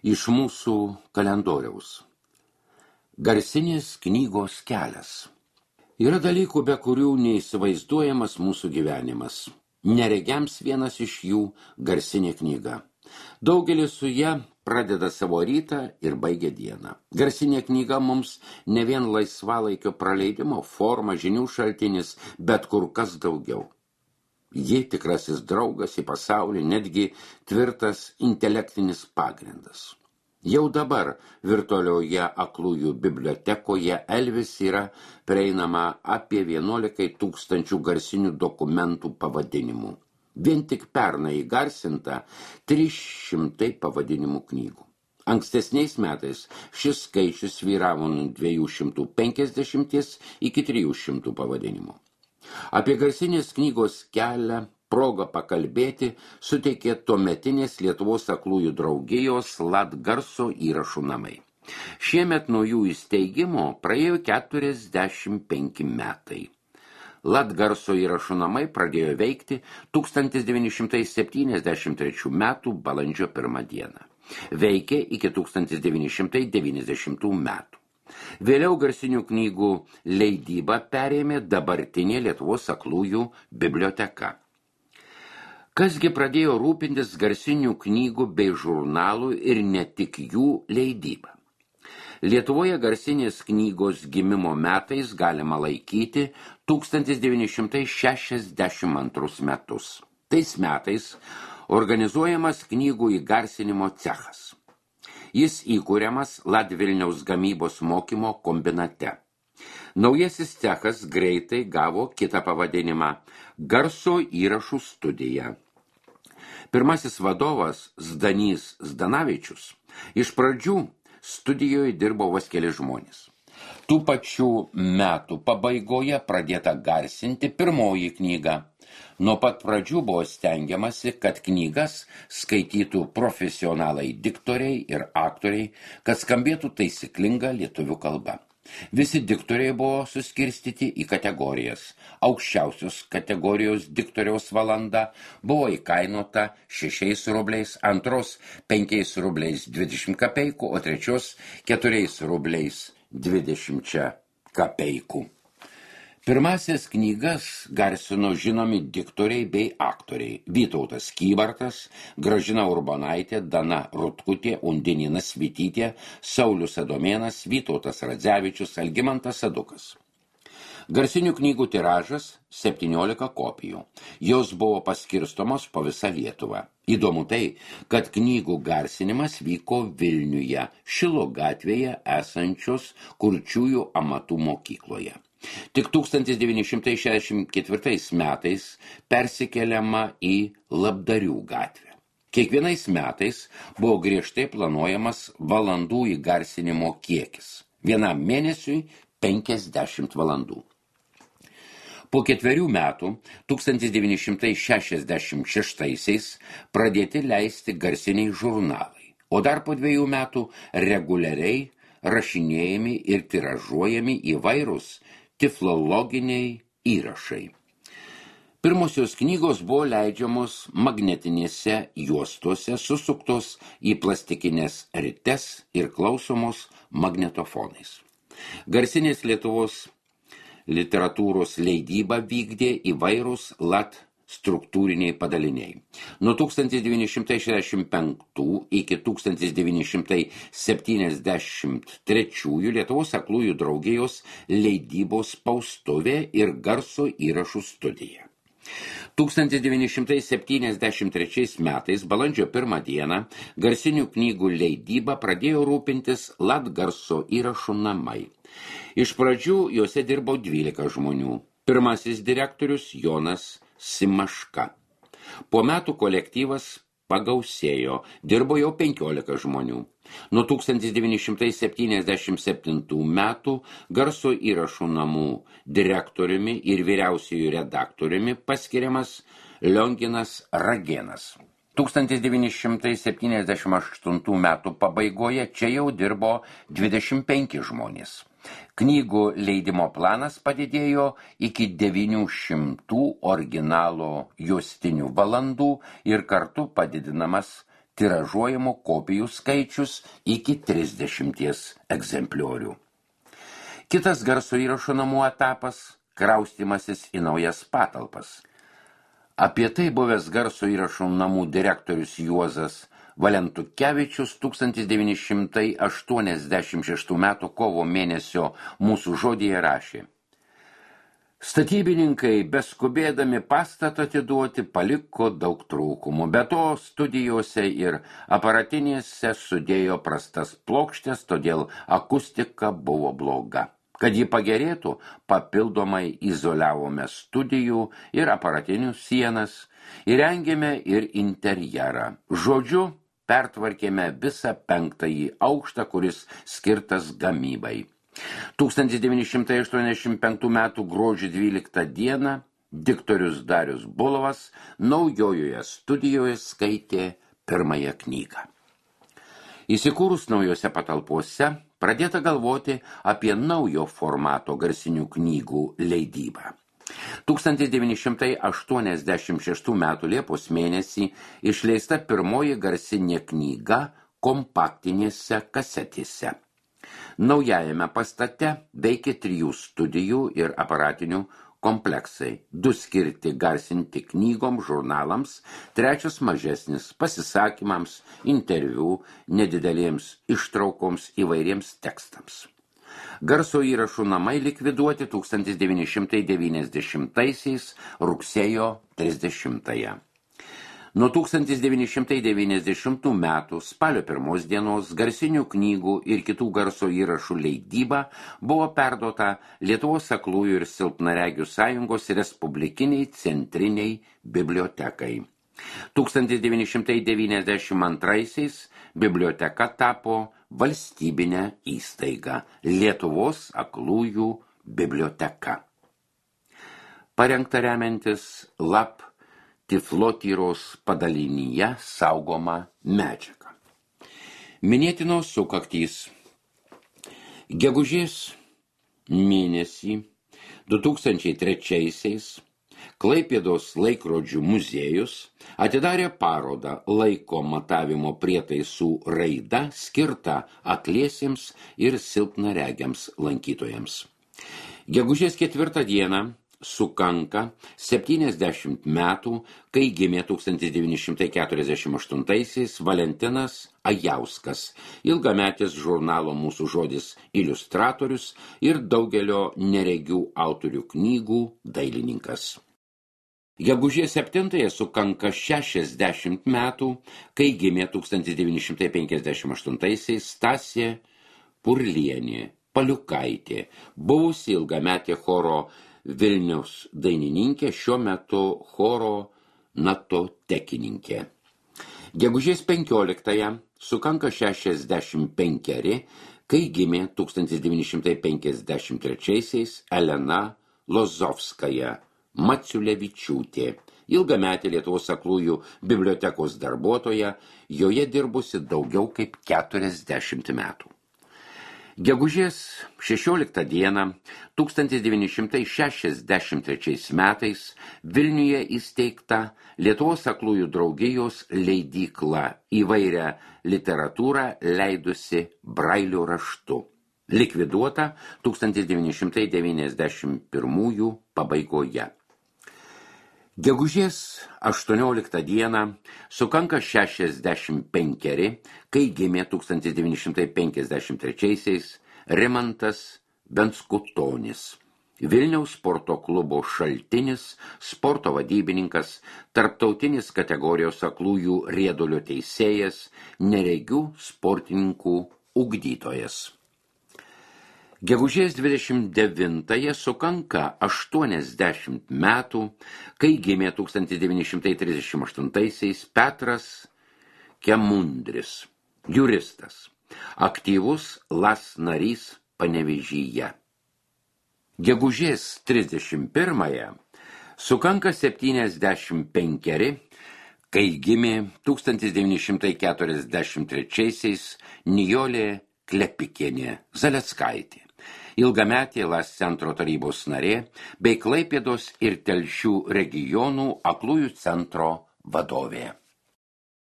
Iš mūsų kalendoriaus. Garsinės knygos kelias. Yra dalykų, be kurių neįsivaizduojamas mūsų gyvenimas. Neregiams vienas iš jų garsinė knyga. Daugelis su ja pradeda savo rytą ir baigia dieną. Garsinė knyga mums ne vien laisvalaikio praleidimo forma, žinių šaltinis, bet kur kas daugiau. Ji tikrasis draugas į pasaulį, netgi tvirtas intelektinis pagrindas. Jau dabar virtualioje aklųjų bibliotekoje Elvis yra prieinama apie 11 000 garsinių dokumentų pavadinimų. Vien tik pernai įgarsinta 300 pavadinimų knygų. Ankstesniais metais šis skaičius svyravo nuo 250 iki 300 pavadinimų. Apie garsinės knygos kelią progą pakalbėti suteikė tuometinės Lietuvos aklųjų draugijos Latgarso įrašų namai. Šiemet nuo jų įsteigimo praėjo 45 metai. Latgarso įrašų namai pradėjo veikti 1973 metų balandžio 1 dieną. Veikė iki 1990 metų. Vėliau garsinių knygų leidybą perėmė dabartinė Lietuvos aklųjų biblioteka. Kasgi pradėjo rūpintis garsinių knygų bei žurnalų ir ne tik jų leidybą? Lietuvoje garsinės knygos gimimo metais galima laikyti 1962 metus. Tais metais organizuojamas knygų įgarsinimo cechas. Jis įkuriamas Latvilniaus gamybos mokymo kombinate. Naujasis cechas greitai gavo kitą pavadinimą – garso įrašų studija. Pirmasis vadovas Zdanys Zdanavičius iš pradžių studijoje dirbo vos keli žmonės. Tų pačių metų pabaigoje pradėta garsinti pirmoji knyga. Nuo pat pradžių buvo stengiamasi, kad knygas skaitytų profesionalai diktoriai ir aktoriai, kad skambėtų taisyklinga lietuvių kalba. Visi diktoriai buvo suskirstyti į kategorijas. Aukščiausios kategorijos diktoriaus valanda buvo įkainota 6 rubliais, antros 5 rubliais 20 kapeikų, o trečios 4 rubliais 20 kapeikų. Pirmasias knygas garsino žinomi diktoriai bei aktoriai – Vytautas Kybartas, Gražina Urbonaitė, Dana Rutkutė, Undinina Svitytė, Saulius Adomėnas, Vytautas Radzevičius, Algimantas Sadukas. Garsinių knygų tiražas 17 kopijų. Jos buvo paskirstomos po visą Lietuvą. Įdomu tai, kad knygų garsinimas vyko Vilniuje, Šilo gatvėje esančios Kurčiųjų amatų mokykloje. Tik 1964 metais persikeliama į Labdarių gatvę. Kiekvienais metais buvo griežtai planuojamas valandų įgarsinimo kiekis. Vienam mėnesiui 50 valandų. Po 4 metų, 1966 pradėti leisti garsiniai žurnalai, o dar po 2 metų reguliariai rašinėjami ir tiražuojami įvairūs tiflologiniai įrašai. Pirmosios knygos buvo leidžiamos magnetinėse juostose, susuktos į plastikinės rites ir klausomos magnetofonais. Garsinės Lietuvos literatūros leidybą vykdė įvairūs struktūriniai padaliniai. Nuo 1965 iki 1973 Lietuvos aklųjų draugijos leidybos spaustuvė ir garso įrašų studija. 1973 metais balandžio 1 dieną garsinių knygų leidybą pradėjo rūpintis Latgarso įrašų namai. Iš pradžių juose dirbo 12 žmonių. Pirmasis direktorius Jonas Simaška. Po metų kolektyvas pagausėjo, dirbo jau 15 žmonių. Nuo 1977 metų garso įrašų namų direktoriumi ir vyriausiųjų redaktoriumi paskiriamas Lionginas Ragėnas. 1978 metų pabaigoje čia jau dirbo 25 žmonės. Knygų leidimo planas padidėjo iki 900 originalo juostinių valandų ir kartu padidinamas tiražuojamų kopijų skaičius iki 30 egzempliorių. Kitas garso įrašo namų etapas – kraustymasis į naujas patalpas. Apie tai buvęs garso įrašo namų direktorius Juozas Valentukevičius 1986 m. kovo mėnesio mūsų žodyje rašė: Statybininkai, beskubėdami pastatą atiduoti, paliko daug trūkumų. Be to, studijose ir aparatinėse sudėjo prastas plokštės, todėl akustika buvo bloga. Kad ji pagerėtų, papildomai izoliavome studijų ir aparatinių sienas, įrengėme ir interjerą. Žodžiu, pertvarkėme visą 5. aukštą, kuris skirtas gamybai. 1985 m. gruodžio 12 d. diktorius Darius Bulovas naujojoje studijoje skaitė pirmąją knygą. Įsikūrus naujose patalpose, pradėta galvoti apie naujo formato garsinių knygų leidybą. 1986 m. Liepos mėnesį išleista pirmoji garsinė knyga kompaktinėse kasetėse. Naujajame pastate veikė 3 studijų ir aparatinių kompleksai, 2 skirti garsinti knygoms, žurnalams, 3 mažesnis pasisakymams, interviu, nedidelėms ištraukoms įvairiems tekstams. Garso įrašų namai likviduoti 1990 rugsėjo 30. Nuo 1990 metų spalio 1 dienos garsinių knygų ir kitų garso įrašų leidyba buvo perduota Lietuvos aklųjų ir silpnaregių sąjungos Respublikiniai centriniai bibliotekai. 1992 biblioteka tapo valstybinė įstaiga Lietuvos aklųjų biblioteka. Parengta remiantis LAP Tiflotyros padalinyje saugoma medžiaga. Minėtinos sukaktys. Gegužės mėnesį 2003 Klaipėdos laikrodžių muziejus atidarė parodą laiko matavimo prietaisų raida skirtą akliesiems ir silpnaregiams lankytojams. Gegužės 4 dieną sukanka 70 metų, kai gimė 1948 Valentinas Ajauskas, ilgametis žurnalo Mūsų žodis iliustratorius ir daugelio neregių autorių knygų dailininkas. Gegužės 7 sukanka 60 metų, kai gimė 1958 Stasė Purlienė Paliukaitė, buvusi ilgametė choro Vilniaus dainininkė, šiuo metu choro natotekininkė. Gegužės 15 sukanka 65, kai gimė 1953 Elena Lozovskaja Maciulevičiūtė, ilgametė Lietuvos aklųjų bibliotekos darbuotoja, joje dirbusi daugiau kaip 40 metų. Gegužės 16 dieną 1963 metais Vilniuje įsteigta Lietuvos aklųjų draugijos leidykla, įvairią literatūrą leidusi brailio raštu. Likviduota 1991 pabaigoje. Gegužės 18 dieną sukanka 65, kai gimė 1953 Rimantas Benskutonis, Vilniaus sporto klubo Šaltinis, sporto vadybininkas, tarptautinis kategorijos aklųjų riedulio teisėjas, neregių sportininkų ugdytojas. Gegužės 29 sukanka 80 metų, kai gimė 1938 Petras Kemundris, juristas, aktyvus LAS narys Panevėžyje. Gegužės 31 sukanka 75, kai gimė 1943 Nijolė Klepikienė Zaleckaitė, ilgametė LAS centro tarybos narė bei Klaipėdos ir Telšių regionų aklųjų centro vadovė.